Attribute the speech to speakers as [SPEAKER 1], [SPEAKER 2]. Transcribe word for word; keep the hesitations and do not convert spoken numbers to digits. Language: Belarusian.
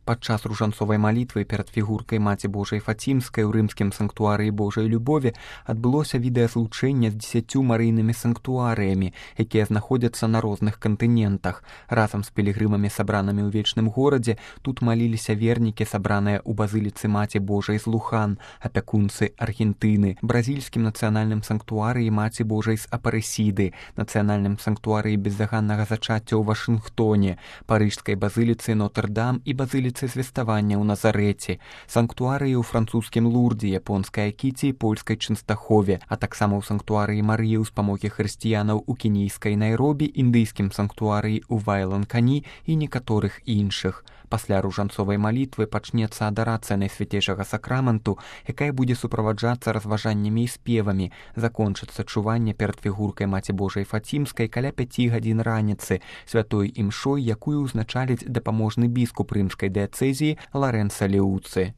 [SPEAKER 1] Падчас ружанцовай малітвы перад фігуркай Маці Божай Фацімскай у рымскім санктуарыі Божай любові адбылося відэазлучэнне з дзесяцю марыйнымі санктуарыямі, якія знаходзяцца на розных кантынентах. Разам з пілігрымамі, сабранымі ў вечным горадзе, тут маліліся вернікі, сабраныя ў базыліцы Маці Божай з Лухан, апякунцы Аргентыны, бразільскім нацыянальным санктуарыі Маці Божай з Апарэсіды, нацыянальным санктуарыі бездаганнага зачацця ў Вашынгтоне, парыжскай базыліцы Нотр-Дам і базыліцы звеставання ў Назарэце, санктуарыі ў французскім Лурдзе, японскай Акіці і польскай Чэнстахове, а таксама ў санктуарыі Марыі ў спамогі хрысціянаў у кенійскай Найробі, індыйскім санктуарыі ў Вайланкані і некаторых іншых. Пасля ружанцовай малітвы пачнецца адарацыя Найсвяцейшага сакраменту, якая будзе суправаджацца разважаннямі і спевамі. Закончыцца чуванне перад фігуркай Маці Божай Фацімскай каля пяці гадзін раніцы святой імшой, якую ўзначаліць дапаможны біскуп рымскай дыяцэзіі Ларэнца Леуцы.